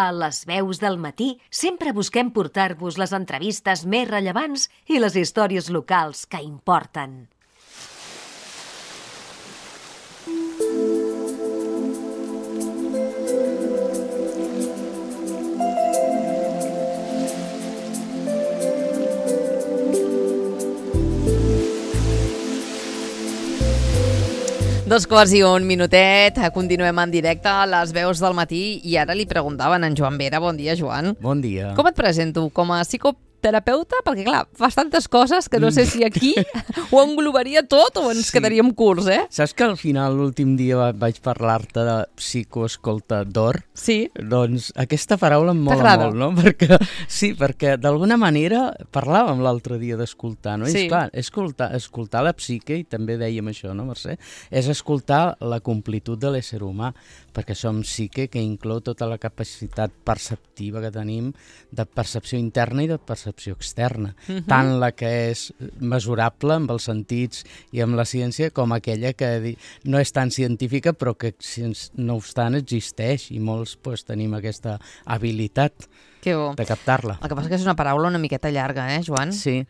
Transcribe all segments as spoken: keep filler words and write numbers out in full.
A les veus del matí sempre busquem portar-vos les entrevistes més rellevants i les històries locals que importen. Dos quarts i un minutet, continuem en directe a les veus del matí i ara li preguntaven a en Joan Vera. Bon dia, Joan. Bon dia. Com et presento? Com a psicoterapeuta? Perquè, clar, fas tantes coses que no sé si aquí ho englobaria tot o ens Sí. quedaríem curts, eh? Saps que al final, l'últim dia, vaig parlar-te de psicoescoltador? Sí. Doncs aquesta paraula em mola T'agrada? molt, no? Perquè, sí, perquè d'alguna manera parlàvem l'altre dia d'escoltar, no? I Sí. és clar, escoltar, escoltar la psique, i també dèiem això, no, Mercè? És escoltar la completud de l'ésser humà, perquè som psique que inclou tota la capacitat perceptiva que tenim de percepció interna i de percepció externa. Mhm. Tant la que és mesurable amb els sentits i amb la ciència com aquella que di- no és tan científica però que no obstant existeix i molts pues, tenim aquesta habilitat Que bo. de captar-la. El que passa és que és una paraula una miqueta llarga, eh, Joan? Sí,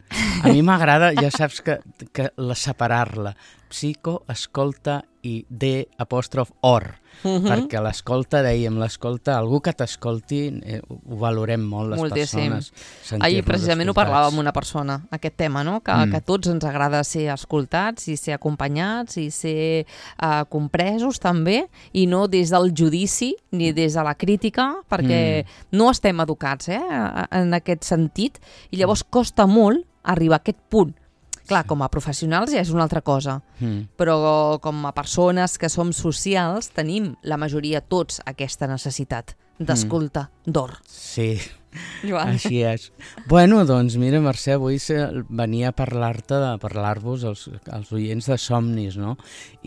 a mi m'agrada, ja saps que, que la separar-la, psico, escolta i D apòstrof or, Mhm. perquè l'escolta, dèiem, l'escolta, algú que t'escolti, eh, ho valorem molt les Moltíssim. persones. Ahir sentir-nos precisament ho escoltats. parlàvem amb una persona, aquest tema, no? Que, Mm. que a tots ens agrada ser escoltats i ser acompanyats i ser uh, compresos també, i no des del judici ni des de la crítica, perquè mm. no estem educats eh, en aquest sentit, i llavors costa molt arribar a aquest punt. Clar, com a professionals ja és una altra cosa, Mm. però com a persones que som socials tenim la majoria tots aquesta necessitat d'escolta d'or. Sí, Joan. així és. Bueno, doncs mira, Mercè, avui se- venia a parlar-te, de parlar-vos als, als oients de somnis, no?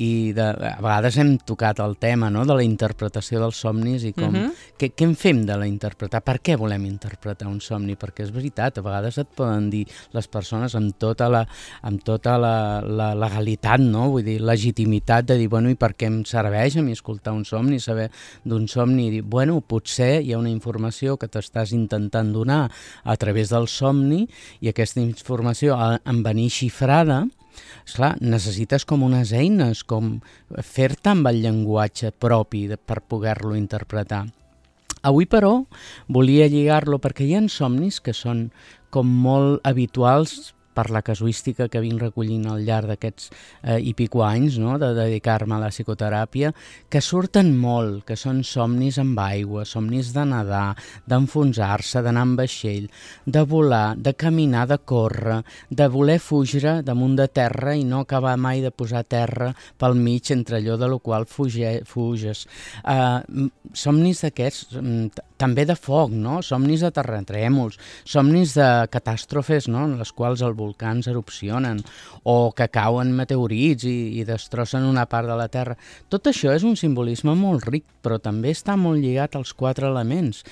I de, a vegades hem tocat el tema, no?, de la interpretació dels somnis i com... Mhm. què, què en fem de la interpretar? Per què volem interpretar un somni? Perquè és veritat, a vegades et poden dir les persones amb tota la, amb tota la, la legalitat, no?, vull dir, legitimitat de dir, bueno, i per què em serveix a mi escoltar un somni, saber d'un somni, i dir, bueno, potser hi ha una informació que t'estàs intentant donar a través del somni i aquesta informació en venir xifrada, esclar, necessites com unes eines, com fer-te amb el llenguatge propi de, per poder-lo interpretar. Avui, però, volia lligar-lo perquè hi ha somnis que són com molt habituals per la casuística que vinc recollint al llarg d'aquests eh, i pico anys, no?, de dedicar-me a la psicoteràpia, que surten molt, que són somnis amb aigua, somnis de nedar, d'enfonsar-se, d'anar amb vaixell, de volar, de caminar, de córrer, de voler fugir damunt de terra i no acabar mai de posar terra pel mig entre allò de lo qual fuge, fuges. Uh, somnis d'aquests, també de foc, no?, somnis de terratrèmols, somnis de catàstrofes, no?, en les quals els volcans erupcionen o que cauen meteorits i, i destrossen una part de la Terra. Tot això és un simbolisme molt ric, però també està molt lligat als quatre elements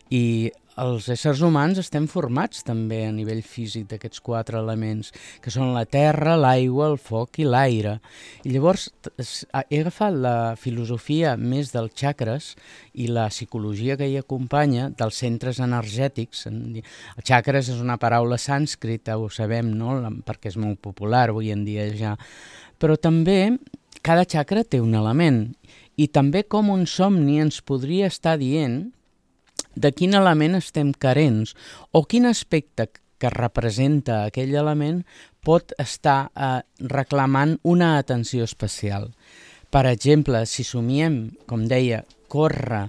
i els éssers humans estem formats també a nivell físic d'aquests quatre elements, que són la terra, l'aigua, el foc i l'aire. I llavors he agafat la filosofia més dels xacres i la psicologia que hi acompanya dels centres energètics. El xacres és una paraula sànscrita, ho sabem, no?, perquè és molt popular avui en dia ja. Però també cada xacra té un element i també com un somni ens podria estar dient de quin element estem carents o quin aspecte que representa aquell element pot estar eh, reclamant una atenció especial. Per exemple, si somiem, com deia, córrer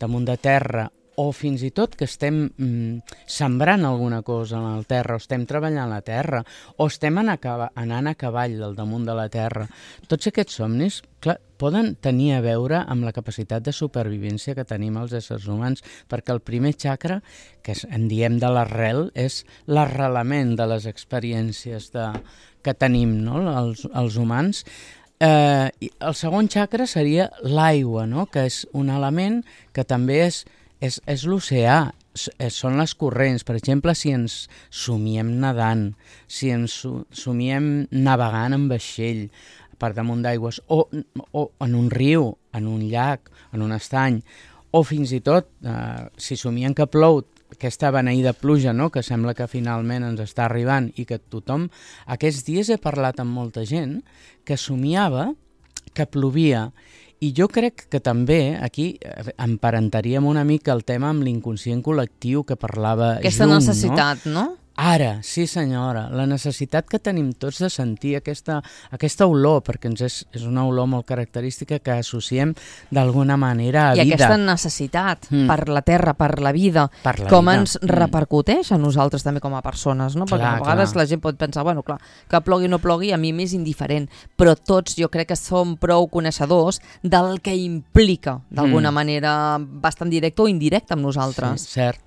damunt de terra o fins i tot que estem mm, sembrant alguna cosa en la terra o estem treballant la terra o estem anant a, anant a cavall al damunt de la terra, tots aquests somnis, clar, poden tenir a veure amb la capacitat de supervivència que tenim els éssers humans, perquè el primer xacra, que en diem de l'arrel, és l'arrelament de les experiències de, que tenim, no?, els, els humans. Eh, el segon xacra seria l'aigua, no?, que és un element que també és És, és l'oceà, són les corrents. Per exemple, si ens somiem nedant, si ens somiem navegant en vaixell per damunt d'aigües, o, o en un riu, en un llac, en un estany, o fins i tot, eh, si somien que plou, aquesta beneïda pluja, no?, que sembla que finalment ens està arribant i que tothom... Aquests dies he parlat amb molta gent que somiava que plovia. I jo crec que també aquí emparentaríem una mica el tema amb l'inconscient col·lectiu que parlava Aquesta Jung, necessitat, no? no? Ara, sí senyora, la necessitat que tenim tots de sentir aquesta, aquesta olor, perquè ens és, és una olor molt característica que associem d'alguna manera a I vida. I aquesta necessitat mm. per la terra, per la vida, per la com vida. ens repercuteix a nosaltres també com a persones, no? Perquè clar, a vegades clar. la gent pot pensar, bueno, clar, que plogui o no plogui a mi m'és indiferent, però tots jo crec que som prou coneixedors del que implica, d'alguna mm. manera bastant directe o indirecte amb nosaltres. Sí, cert.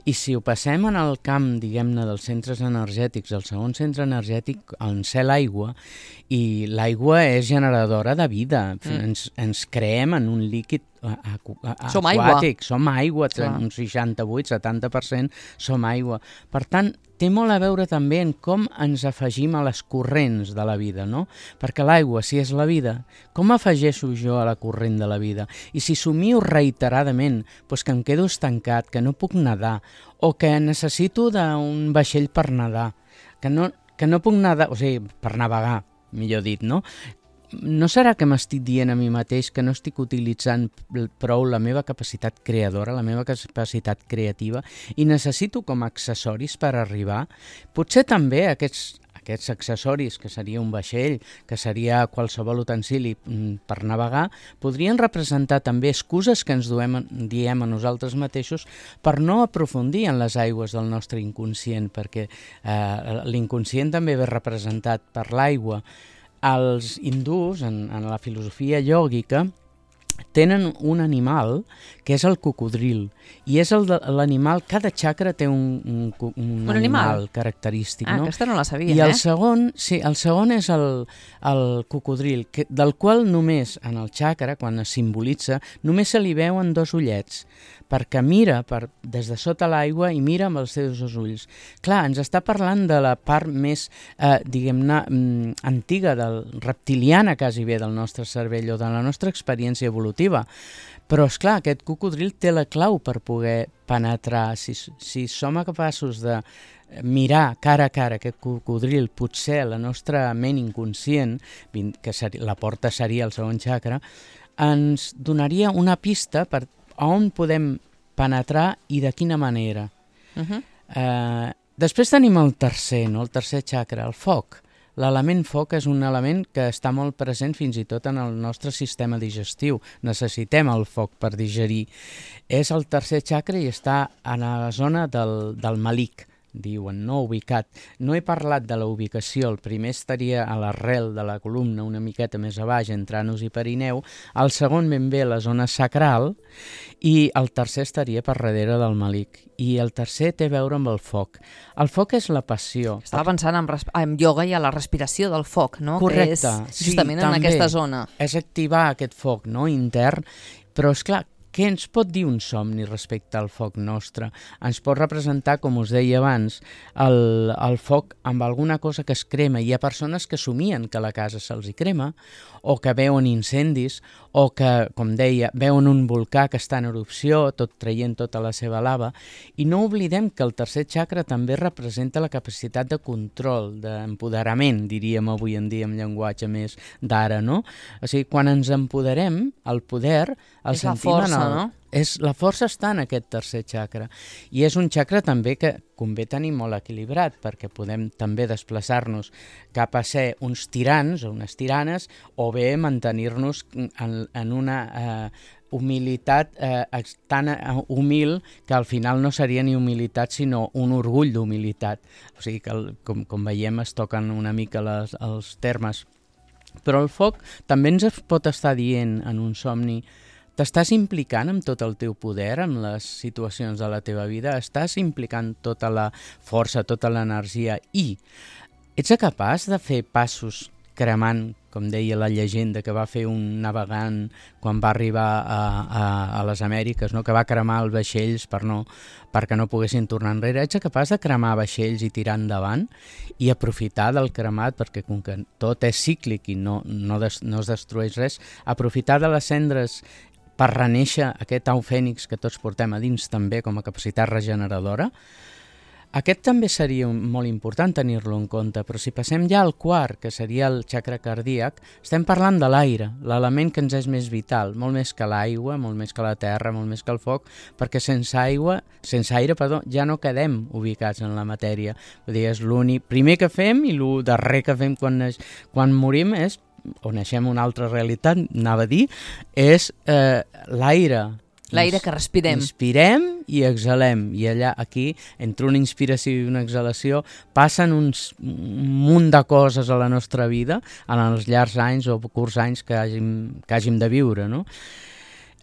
I si ho passem en el camp, diguem-ne, dels centres energètics, el segon centre energètic en ser l'aigua, i l'aigua és generadora de vida, mm. ens, ens creem en un líquid aqu aquàtic, som aigua, som aigua, un seixanta-vuit setanta per cent som aigua. Per tant, té molt a veure també en com ens afegim a les corrents de la vida, no? Perquè l'aigua, si és la vida, com afegeixo jo a la corrent de la vida? I si somio reiteradament, doncs que em quedo estancat, que no puc nedar, o que necessito d'un vaixell per nedar, que no, que no puc nedar, o sigui, per navegar, millor dit, no? No serà que m'estic dient a mi mateix que no estic utilitzant prou la meva capacitat creadora, la meva capacitat creativa, i necessito com a accessoris per arribar? Potser també aquests, aquests accessoris, que seria un vaixell, que seria qualsevol utensili per navegar, podrien representar també excuses que ens duem, diem a nosaltres mateixos per no aprofundir en les aigües del nostre inconscient, perquè eh, l'inconscient també ve representat per l'aigua. Els hindús, en, en la filosofia iògica, tenen un animal que és el cocodril, i és l'animal, cada xacra té un, un, un, un animal, animal característic. Ah, no? aquesta no la sabia, I el eh? segon, sí, el segon és el, el cocodril, que, del qual només en el xacra, quan es simbolitza, només se li veuen dos ullets, perquè mira per, des de sota l'aigua i mira amb els seus dos ulls. Clar, ens està parlant de la part més, eh, diguem-ne, mm, antiga, del reptiliana quasi bé del nostre cervell o de la nostra experiència evolutiva. Però, esclar, aquest cocodril té la clau per poder penetrar. Si, si som capaços de mirar cara a cara aquest cocodril, potser la nostra ment inconscient, que seria, la porta seria el segon xacra, ens donaria una pista per on podem penetrar i de quina manera. Uh-huh. eh, després tenim el tercer, no? El tercer xacra, el foc. L'element foc és un element que està molt present fins i tot en el nostre sistema digestiu. Necessitem el foc per digerir. És el tercer xacra i està a la zona del, del malic, diuen, no ubicat. No he parlat de la ubicació, el primer estaria a l'arrel de la columna, una miqueta més a baix, entre anus i perineu, el segon ben bé a la zona sacral, i el tercer estaria per darrere del malic. I el tercer té a veure amb el foc. El foc és la passió. Estava pensant en, en ioga i a la respiració del foc, no? Correcte. Que és justament sí, en aquesta zona. És activar aquest foc, no?, intern, però és clar, què ens pot dir un somni respecte al foc nostre? Ens pot representar, com us deia abans, el, el foc amb alguna cosa que es crema. Hi ha persones que somien que la casa se'ls hi crema, o que veuen incendis, o que, com deia, veuen un volcà que està en erupció, tot traient tota la seva lava. I no oblidem que el tercer xacra també representa la capacitat de control, d'empoderament, diríem avui en dia amb llenguatge més d'ara, no? O sigui, quan ens empoderem, el poder el és la sentim força, en el... no? És, la força està en aquest tercer xacra, i és un xacra també que convé tenir molt equilibrat, perquè podem també desplaçar-nos cap a ser uns tirans o unes tiranes, o bé mantenir-nos en, en una eh, humilitat eh, tan humil que al final no seria ni humilitat sinó un orgull d'humilitat. O sigui que, el, com, com veiem, es toquen una mica les, els termes. Però el foc també ens pot estar dient en un somni: t'estàs implicant amb tot el teu poder en les situacions de la teva vida? Estàs implicant tota la força, tota l'energia, i ets capaç de fer passos cremant, com deia la llegenda que va fer un navegant quan va arribar a, a, a les Amèriques, no? Que va cremar els vaixells per no, perquè no poguessin tornar enrere. Ets capaç de cremar vaixells i tirar endavant i aprofitar del cremat, perquè com que tot és cíclic i no, no, des, no es destrueix res, aprofitar de les cendres per renéixer aquest au fènix que tots portem a dins també com a capacitat regeneradora. Aquest també seria molt important tenir-lo en compte, però si passem ja al quart, que seria el xacra cardíac, estem parlant de l'aire, l'element que ens és més vital, molt més que l'aigua, molt més que la terra, molt més que el foc, perquè sense aigua, sense aire, perdó, ja no quedem ubicats en la matèria. Vull dir, és l'únic primer que fem i el darrer que fem quan, neix, quan morim és, o naixem una altra realitat, anava a dir, és eh, l'aire. L'aire que respirem. Inspirem i exhalem. I allà, aquí, entre una inspiració i una exhalació, passen uns, un munt de coses a la nostra vida en els llargs anys o curts anys que hàgim, que hàgim de viure, no?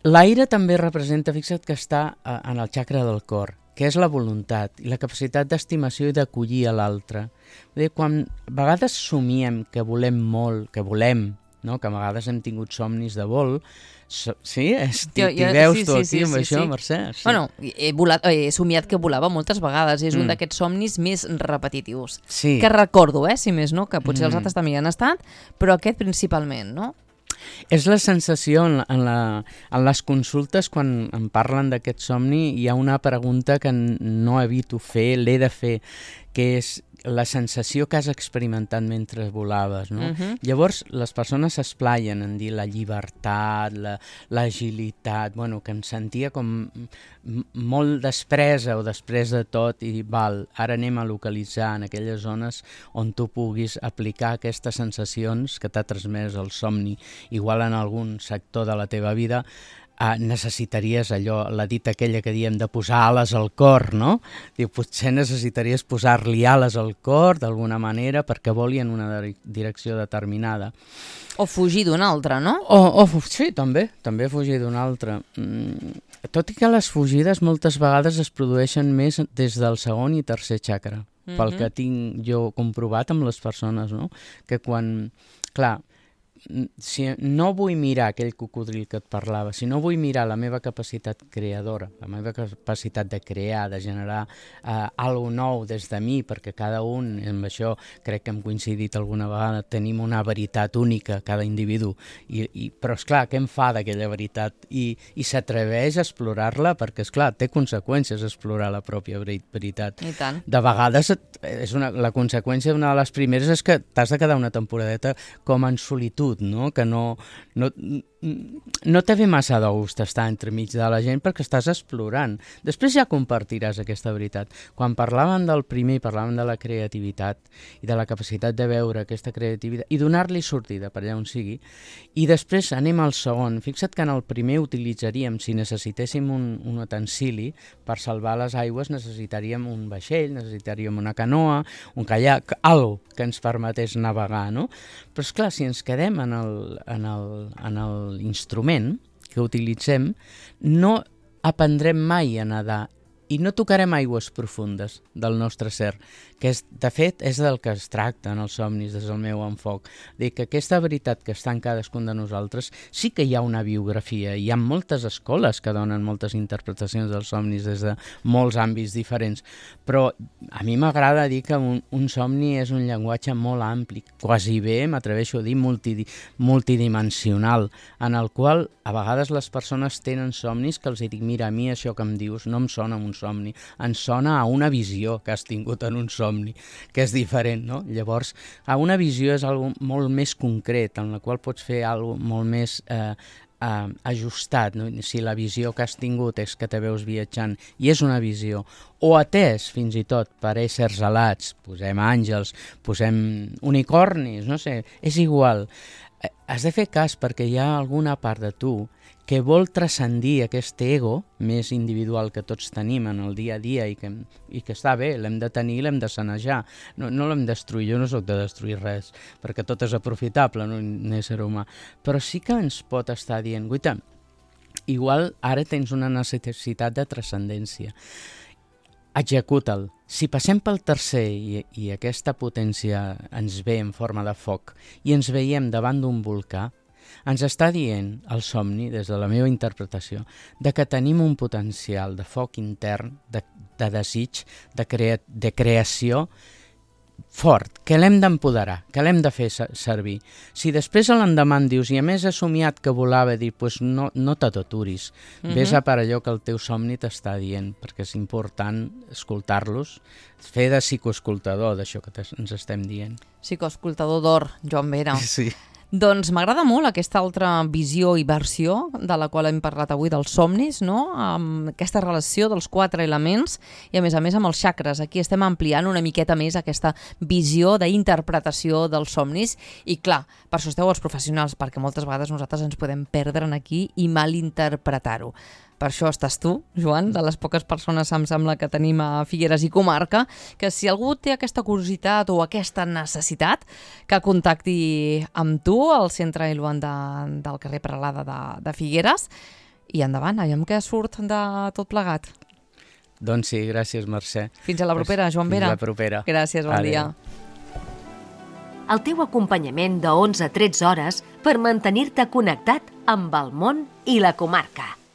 L'aire també representa, fixa't que està en el xacra del cor, que és la voluntat i la capacitat d'estimació i d'acollir a l'altre. Quan a vegades somiem que volem molt, que volem, no? Que a vegades hem tingut somnis de vol, so, sí? T'hi veus sí, tu sí, aquí sí, amb sí, això, sí. Mercè? Sí. Bueno, he, volat, he somiat que volava moltes vegades, és mm. un d'aquests somnis més repetitius, sí. que recordo, eh, si més no, que potser mm. els altres també hi han estat, però aquest principalment, no? És la sensació en, en, la, en les consultes quan em parlen d'aquest somni, hi ha una pregunta que no evito fer, l'he de fer, que és la sensació que has experimentat mentre volaves, no? Uh-huh. Llavors, les persones s'esplaien en dir la llibertat, l'agilitat, la, bueno, que em sentia com molt despresa o després de tot i val, ara anem a localitzar en aquelles zones on tu puguis aplicar aquestes sensacions que t'ha transmès el somni. Igual en algun sector de la teva vida Uh, necessitaries allò, la dita aquella que diem de posar ales al cor, no? Diu, potser necessitaries posar-li ales al cor d'alguna manera perquè voli en una direcció determinada. O fugir d'una altra, no? O, o, sí, també, també fugir d'una altra. Mm, tot i que les fugides moltes vegades es produeixen més des del segon i tercer xacra, mm-hmm. pel que tinc jo comprovat amb les persones, no? Que quan, clar, si no vull mirar aquell cocodril que et parlava, si no vull mirar la meva capacitat creadora, la meva capacitat de crear, de generar eh, alguna nou des de mi, perquè cada un, amb això crec que hem coincidit alguna vegada, tenim una veritat única, cada individu, i, i, però esclar, què em fa d'aquella veritat? I, i s'atreveix a explorar-la, perquè esclar, té conseqüències explorar la pròpia veritat. I tant. De vegades és una, la conseqüència, una de les primeres, és que t'has de quedar una temporadeta com en solitud, no? Que no, no, no te ve massa de gust estar entremig de la gent perquè estàs explorant. Després ja compartiràs aquesta veritat. Quan parlàvem del primer, parlàvem de la creativitat i de la capacitat de veure aquesta creativitat i donar-li sortida per allà on sigui. I després anem al segon. Fixa't que en el primer utilitzaríem, si necessitéssim un, un utensili per salvar les aigües, necessitaríem un vaixell, necessitaríem una canoa, un caiac, algo que ens permetés navegar, no? Però esclar, si ens quedem en el, en el, en l'instrument que utilitzem, no aprendrem mai a nedar i no tocarem aigües profundes del nostre ser, que és, de fet és del que es tracta en els somnis des del meu enfoc. Dir que aquesta veritat que està en cadascun de nosaltres sí que hi ha una biografia, hi ha moltes escoles que donen moltes interpretacions dels somnis des de molts àmbits diferents, però a mi m'agrada dir que un, un somni és un llenguatge molt ampli, quasi bé, m'atreveixo a dir, multidi, multidimensional, en el qual a vegades les persones tenen somnis que els dic, mira, a mi això que em dius no em sona un somni, ens sona a una visió que has tingut en un somni, que és diferent, no? Llavors, a una visió és algo molt més concret, en la qual pots fer algo molt més eh, eh, ajustat, no? Si la visió que has tingut és que te veus viatjant i és una visió, o atès fins i tot per éssers alats, posem àngels, posem unicornis, no sé, és igual. Has de fer cas perquè hi ha alguna part de tu que vol transcendir aquest ego més individual que tots tenim en el dia a dia i que, i que està bé, l'hem de tenir i l'hem de sanejar. No, no l'hem de destruir, jo no soc de destruir res, perquè tot és aprofitable, no, un ésser humà. Però sí que ens pot estar dient, guaita, igual ara tens una necessitat de transcendència. Executa'l. Si passem pel tercer i, i aquesta potència ens ve en forma de foc i ens veiem davant d'un volcà, ens està dient el somni, des de la meva interpretació, de que tenim un potencial de foc intern, de, de desig, de, crea, de creació, fort, que l'hem d'empoderar, que l'hem de fer servir. Si després a l'endemà em dius, i a més he somiat que volava, dir, pues no, no t'aturis, uh-huh. Ves a per allò que el teu somni t'està dient, perquè és important escoltar-los, fer de psicoescoltador d'això que ens estem dient. Psicoescoltador d'or, Joan Vera. Sí. Doncs m'agrada molt aquesta altra visió i versió de la qual hem parlat avui dels somnis, no? Amb aquesta relació dels quatre elements i a més a més amb els xacres. Aquí estem ampliant una miqueta més aquesta visió d'interpretació dels somnis i clar, per això esteu els professionals, perquè moltes vegades nosaltres ens podem perdre en aquí i malinterpretar-ho. Per això estàs tu, Joan, de les poques persones em sembla que tenim a Figueres i comarca, que si algú té aquesta curiositat o aquesta necessitat, que contacti amb tu al Centre Iluan de, del carrer Peralada de, de Figueres i endavant, aviam què surt de tot plegat. Doncs sí, gràcies, Mercè. Fins a la propera, Joan Vera. Fins a la propera. Gràcies, bon Adeu. dia. El teu acompanyament de onze a tretze hores per mantenir-te connectat amb el món i la comarca.